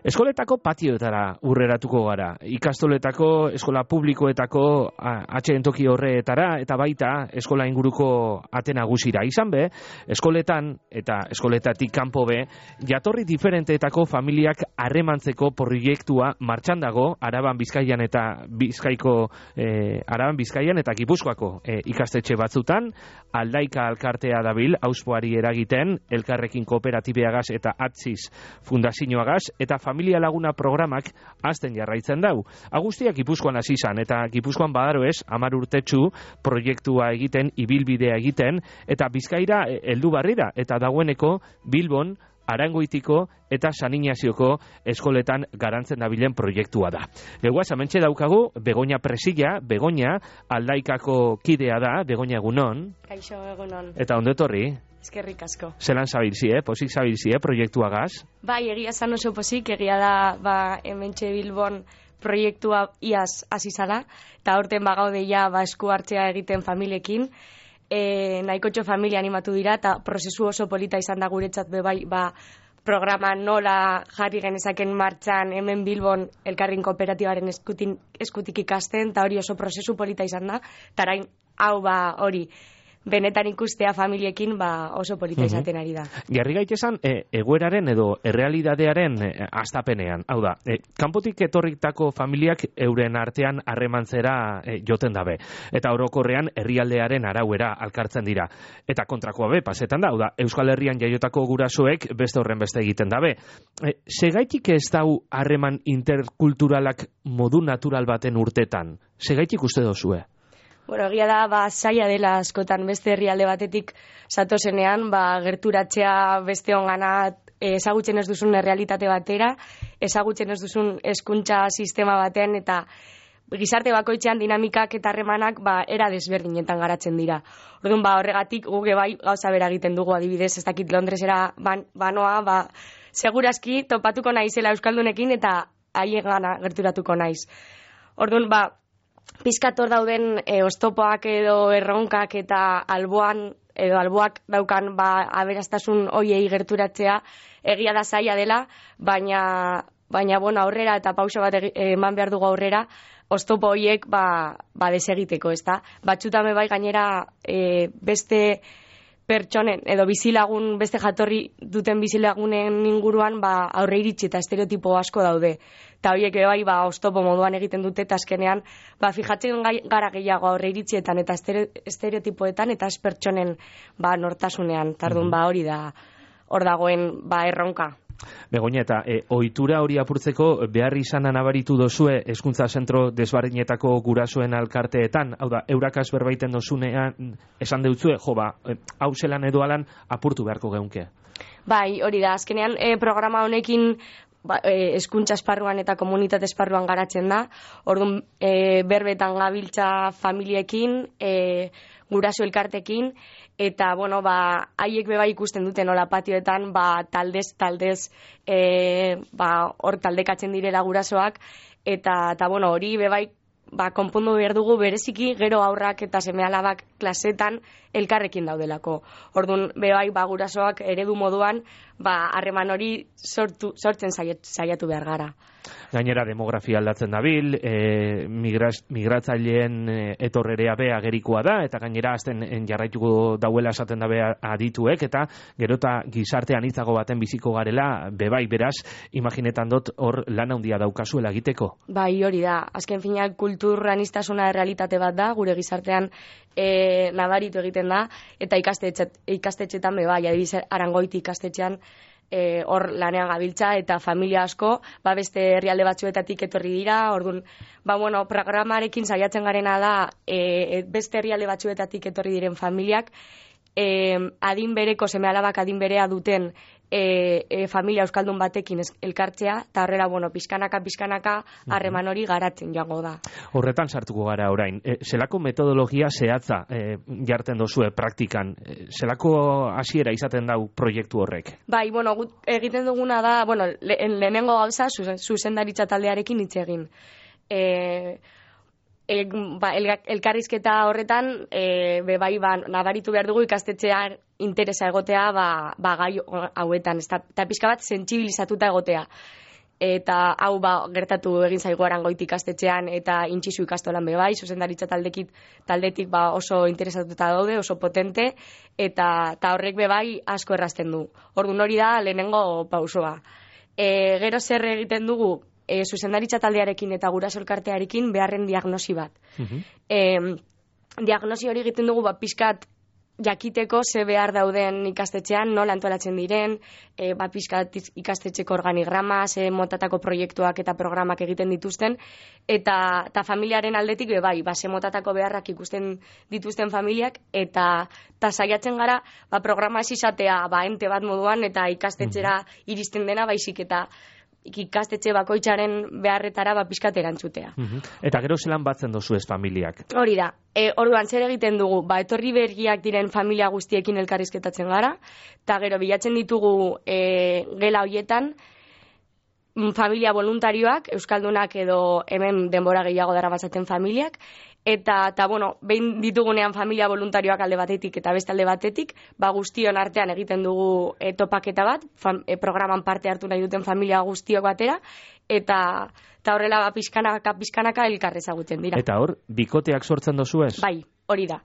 Eskoletako patioetara urreratuko gara. Ikastoletako, eskola publikoetako atxeen toki horretara, eta baita eskola inguruko ate nagusira. Izan be, eskoletan eta eskoletatik kanpo be, jatorri diferenteetako familiak harremantzeko proiektua martxan dago Araban Bizkaian eta Araban Bizkaian eta Gipuzkoako ikastetxe batzutan. Aldaika alkartea dabil auspoari eragiten, Elkarrekin Kooperatibeagaz eta Atziz Fundazioagaz, eta Familia Laguna programak azten jarraitzen dau. Agustia Gipuzkoan hasi izan, eta Gipuzkoan badaroez 10 urtetxu proiektua egiten, ibilbidea egiten, eta Bizkaira heldu barrira, eta dagoeneko Bilbon, Arangoitiko eta San Ignazioko eskoletan garantzen dabilen proiektua da. Geguaz, hementxe daukagu Begoña Presilla, Begoña Aldaikako kidea da, Begoña egunon. Kaixo egunon. Eta ondo etorri? Eskerrik asko. Zelan zabilzi, posik zabilzi, proiektuagaz? Bai, egia zan oso posik, egia da, hementxe Bilbon proiektua iaz hasi zala, eta aurten bagaude ja esku hartzea egiten familiekin. Nahikotxo familia animatu dira, eta prozesu oso polita izan da guretzat bai, programa nola jarri genezaken martxan hemen Bilbon Elkarrekin Kooperatibaren eskutik ikasten, eta hori oso prozesu polita izan da, eta orain hau hori benetan ikustea familiekin oso polita izaten ari da. Jarri gaitesan, egoeraren edo errealidadearen astapenean. Hau da, kanpotik etorritako familiak euren artean harremantzera joten dabe. Eta orokorrean herrialdearen arauera alkartzen dira. Eta kontrakoa be, pasetan da, hau da, Euskal Herrian jaiotako gurasoek beste horren beste egiten dabe. Segaitik ez dau harreman interkulturalak modu natural baten urtetan? Segaitik uste dozue? Bueno, egia da, zaila dela askotan beste herrialde batetik zatozenean, gerturatzea beste ongana ezagutzen ez duzun errealitate batera, ezagutzen ez duzun hezkuntza sistema batean, eta gizarte bakoitzean dinamikak eta harremanak era desberdinetan garatzen dira. Orduan, horregatik guge bai gauza bera egiten dugu, adibidez, ez dakit Londresera banoa, segurazki topatuko naizela euskaldunekin eta haien gana gerturatuko naiz. Orduan, pizkator dauden oztopoak edo erronkak eta alboak daukan aberastasun hoiei gerturatzea egia da zaila dela, baina aurrera eta pauso bat eman behar dugu aurrera, oztopo hoiek desegiteko, ezta? Batzutan bai gainera beste pertsonen edo bizilagun, beste jatorri duten bizilagunen inguruan aurre iritsi eta estereotipo asko daude. Eta horiek bai oztopo moduan egiten dute, eta azkenean fijatzen gara gehiago aurre iritzietan eta estereotipoetan eta ez pertsonen nortasunean. Tardun hori da hor dagoen erronka. Begoña, eta ohitura hori apurtzeko behar izana nabaritu dozue hezkuntza zentro desberdinetako gurasoen alkarteetan, hau da, eurakaz berbaiten dozunean esan deutzue, hau zelan edo alan apurtu beharko geunke. Bai, hori da, azkenean programa honekin hezkuntza esparruan eta komunitate esparruan garatzen da, orduan berbetan gabiltza familiekin, guraso elkartekin, eta, haiek beba ikusten dute nola patioetan, taldez, hor taldekatzen direla gurasoak, eta hori bebai, konpondu behar dugu bereziki gero aurrak eta seme-alabak klasetan elkarrekin daudelako. Orduan, bebai, gurasoak eredu moduan, harreman hori sortzen saiatu behar gara. Gainera demografia aldatzen dabil, migratzaileen etorrerea be agerikoa da, eta gainera azten jarraituko dauela esaten dabe adituek, eta gerota gizartean hitzago baten biziko garela, bebai, beraz, imaginetan dut hor lan handia daukazuela egiteko. Bai, hori da, azken finak kultur aniztasuna realitate bat da, gure gizartean nabaritu egiten da, eta ikastetxetan bebai, adibidez Arangoiti ikastetxean, hor lanean gabiltza eta familia asko beste herrialde batzuetatik etorri dira. Orduan, programarekin saiatzen garena da beste herrialde batzuetatik etorri diren familiak adin bereko seme-alabak adin berea duten familia euskaldun batekin elkartzea, eta horrela, pizkanaka harreman hori garatzen joango da. Horretan sartuko gara orain. Zelako metodologia zehatza jartzen dozue praktikan? Zelako hasiera izaten dau proiektu horrek? Bai, egiten duguna da, lehenengo gauza zuzendaritza taldearekin hitz egin. Elkarrizketa horretan nabaritu behar dugu ikastetxean interesa egotea gai hauetan, eta pixka bat sentsibilizatuta egotea. eta hau gertatu egin zaigu Arangoiti ikastetxean eta Intxizu ikastolan bai, zuzendaritza taldetik oso interesatuta daude, oso potente, eta horrek bai asko errazten du. Orduan hori da lehenengo pausoa. Gero zer egiten dugu, zuzendaritza taldearekin eta guraso elkartearekin beharren diagnosi bat. Diagnosi hori egiten dugu pixkat jakiteko ze behar dauden ikastetxean, nola antolatzen diren, pixkat ikastetxeko organigrama, ze motatako proiektuak eta programak egiten dituzten, eta familiaren aldetik ze motatako beharrak ikusten dituzten familiak, eta saiatzen gara programa ez izatea ente bat moduan eta ikastetxera iristen dena, baizik eta ikastetxe bakoitzaren beharretara pixkat erantzutea. Eta gero zelan batzen dozu ez familiak? Hori da. Orduan zer egiten dugu, etorri berriak diren familia guztiekin elkarrizketatzen gara, eta gero bilatzen ditugu gela horietan familia voluntarioak, euskaldunak edo hemen denbora gehiago daramatzaten familiak, eta behin ditugunean familia voluntarioak alde batetik eta beste alde batetik, guztion artean egiten dugu topaketa bat, programan parte hartu nahi duten familia guztiok batera, eta horrela pizkanaka elkar ezagutzen dira. Eta hor, bikoteak sortzen dozu ez? Bai, hori da.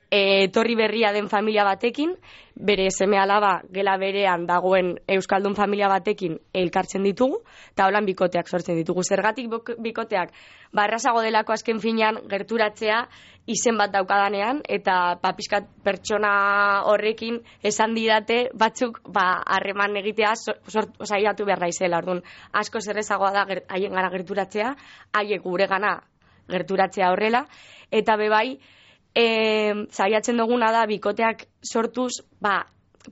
Etorri berria den familia batekin, bere seme-alaba gela berean dagoen euskaldun familia batekin elkartzen ditugu, eta holan bikoteak sortzen ditugu. Zergatik bikoteak, errazago delako azken finean gerturatzea izen bat daukadanean, eta pixkat pertsona horrekin esan didate batzuk harreman egitea saiatu behar daizela. Orduan, asko zerrezagoa da haien gara gerturatzea, haiek gure gana gerturatzea horrela, eta bebai, saiatzen duguna da bikoteak sortuz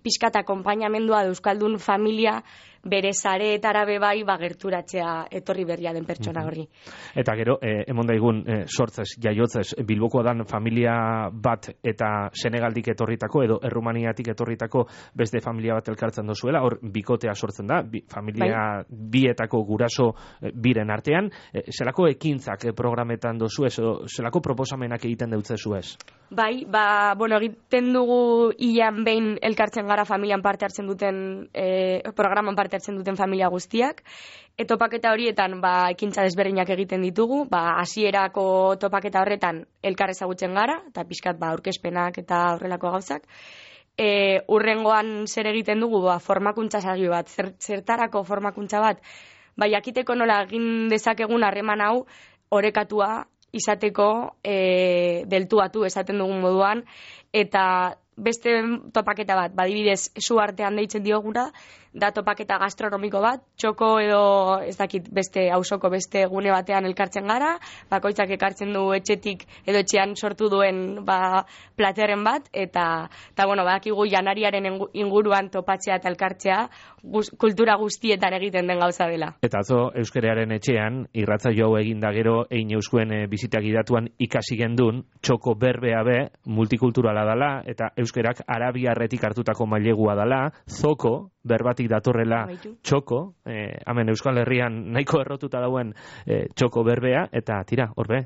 pixkat akonpainamendua euskaldun familia bere sareetara bai gerturatzea etorri berria den pertsona horri. Eta gero, emon daigun sortzez, jaiotzez, Bilboko dan familia bat eta Senegaldik etorritako edo Errumaniatik etorritako beste familia bat elkartzen dozuela, hor bikotea sortzen da, familia bietako guraso biren artean, zelako ekintzak programetan dozu ez, zelako proposamenak egiten deutzezu ez? Bai, egiten dugu hilean behin elkartzen gara familian parte hartzen duten, programan parte hartzen duten familia guztiak. Topaketa horietan ekintza desberdinak egiten ditugu, hasierako topaketa horretan elkar ezagutzen gara, eta pixkat aurkezpenak eta horrelako gauzak. Urrengoan zer egiten dugu, formakuntza saio bat, zertarako formakuntza bat, jakiteko nola egin dezakegun harreman hau orekatua izateko deltuatu esaten dugun moduan, eta beste topaketa bat, badibidez, zu artean deitzen diogura, da topaketa gastronomiko bat, txoko edo ez dakit beste auzoko beste gune batean elkartzen gara, bakoitzak ekartzen du etxetik edo etxean sortu duen platerren bat, eta badakigu janariaren inguruan topatzea eta elkartzea kultura guztietan egiten den gauza dela. Eta atzo Euskararen etxean, irratsaio hau egin da gero, egin euskuen bizitak idatuan ikasi gendun, txoko berbea multikulturala dela, eta euskerak arabiarretik hartutako mailegua dela, zoko, berbatik datorrela txoko, hemen Euskal Herrian nahiko errotuta dauen txoko berbea, eta tira, horbe,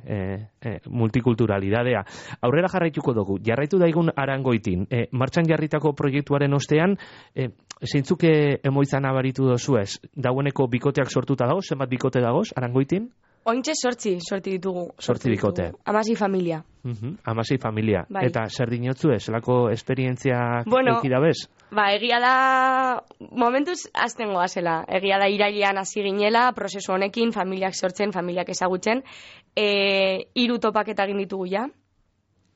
multikulturalidadea. Aurrera jarraituko dugu, jarraitu daigun Arangoitin, martxan jarritako proiektuaren ostean, zeintzuke emoizan abaritu dozu ez? Daueneko bikoteak sortuta dago, zenbat bikote dagoz, Arangoitin? Ointxe sortzi ditugu. Sortzi bikote. 16 familia. 16 familia. Bai. Eta zer dinotzu ez? Zelako esperientziak eukidabez? Egia da, momentuz azten goazela. Egia da irailean hasi ginela, prozesu honekin, familiak sortzen, familiak ezagutzen. 3 topaketa egin ditugu ja.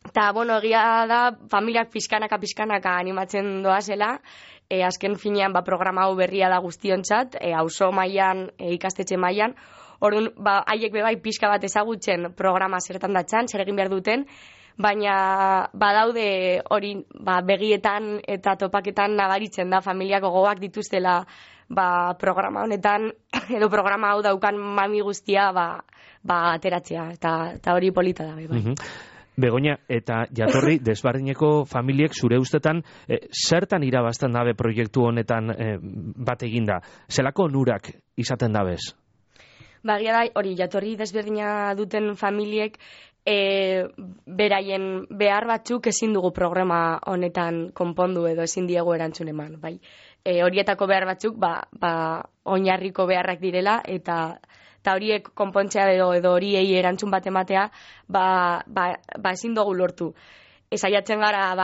Eta, egia da, familiak pizkanaka animatzen doazela. Azken finean, programa hau berria da guztiontzat, auzo mailan, ikastetxe mailan. Orduan, haiek bebai pixka bat ezagutzen programa zertan datzan, zer egin behar duten, baina badaude hori begietan eta topaketan nabaritzen da familiako gogoak dituztela programa honetan, edo programa hau daukan mami guztia ateratzea, eta hori polita da. Begoña, eta jatorri desbardineko familiek zure ustetan zertan irabazten dabe proiektu honetan bat eginda? Zelako onurak izaten dabez? Bagia da, hori, jatorri desberdina duten familiek beraien behar batzuk ezin dugu programa honetan konpondu edo ezin diegu erantzun eman, bai. Horietako behar batzuk, oinarriko beharrak direla, eta horiek konpontzea edo horiei erantzun bat ematea, ezin dugu lortu. Saiatzen gara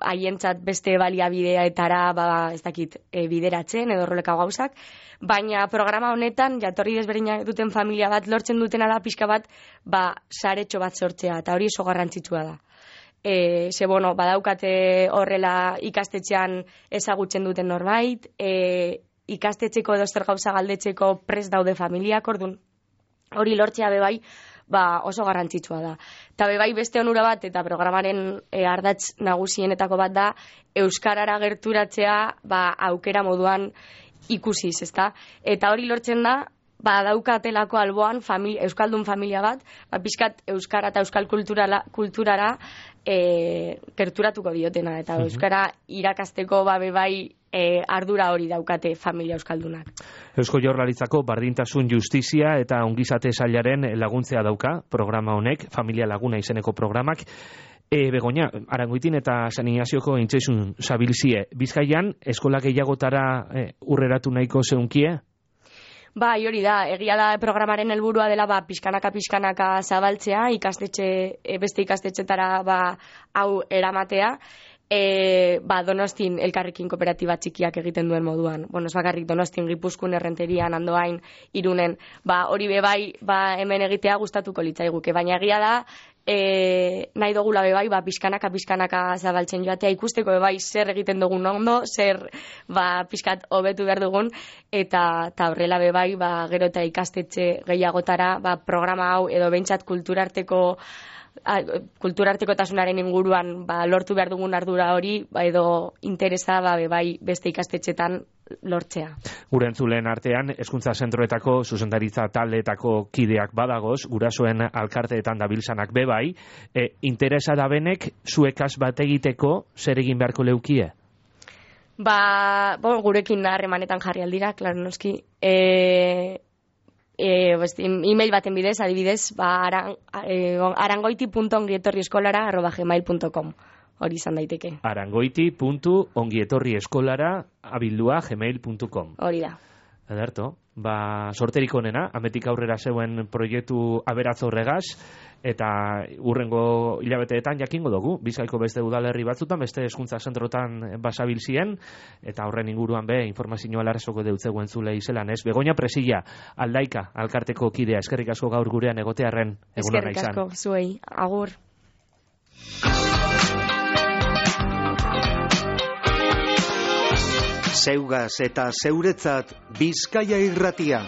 haientzat beste baliabideetara ez dakit bideratzen edo horrelako gauzak, baina programa honetan jatorri desberdinak duten familia bat lortzen dutena da pixka bat saretxo bat sortzea, eta hori oso garrantzitsua da. Badaukate horrela ikastetxean ezagutzen duten norbait, ikastetxeko edo zer gauza galdetzeko prest daude familiak, orduan hori lortzea bebai oso garrantzitsua da. Eta bebai beste onura bat, eta programaren ardatz nagusienetako bat da, euskarara gerturatzea aukera moduan ikusiz, ezta? Eta hori lortzen da, daukatelako alboan euskaldun familia bat, pixkat euskara eta euskal kulturara gerturatuko diotena, eta euskara irakasteko bebai ardura hori daukate familia euskaldunak. Eusko Jaurlaritzako bardintasun justizia eta ongizate sailaren laguntzea dauka programa honek, familia laguna izeneko programak. Begoña, Arangoitin eta San Ignazioko intzesun zabilzie, Bizkaian eskola gehiagotara urreratu nahiko zeunkie? Hori da, egia da programaren helburua dela pixkanaka zabaltzea, beste ikastetxetara hau eramatea, Donostin elkarrekin kooperatiba txikiak egiten duen moduan. Ez bakarrik Donostin, Gipuzkoan, Errenterian, Andoain, Irunen, hori bebai hemen egitea gustatuko litzaiguke, baina egia da nahi dugula bebai pixkanaka zabaltzen joatea, ikusteko bebai zer egiten dugun ondo, zer pixkat hobetu behar dugun, eta horrela bebai gero eta ikastetxe gehiagotara programa hau edo behintzat kulturartekotasunaren inguruan lortu behar dugun ardura hori edo interesa bai beste ikastetxetan lortzea. Gure entzuleen artean, hezkuntza zentroetako zuzendaritza taldeetako kideak badagoz, gurasoen alkarteetan dabiltzanak bebai, interesa da benek zuekaz bat egiteko zer egin beharko leukie? Gurekin harremanetan jarri aldira, klaro noski. E-mail baten bidez, adibidez, arangoiti.ongietorrieskolara@gmail.com. Hori izan daiteke. arangoiti.ongietorrieskolara@gmail.com. Hori da. Ederto, sorterik onena, ametik aurrera zeuen proiektu aberatz horregaz, eta urrengo hilabeteetan jakingo dugu, Bizkaiko beste udalerri batzutan, beste hezkuntza zentrotan basabilzien, eta horren inguruan informazioa larrezoko deutzegu entzule izelan, ez? Begoña Presilla, Aldaika, alkarteko kidea, eskerrik asko gaur gurean egotearren, egun hona izan. Eskerrik asko, zuei, agur. Zeugaz eta zeuretzat Bizkaia Irratia.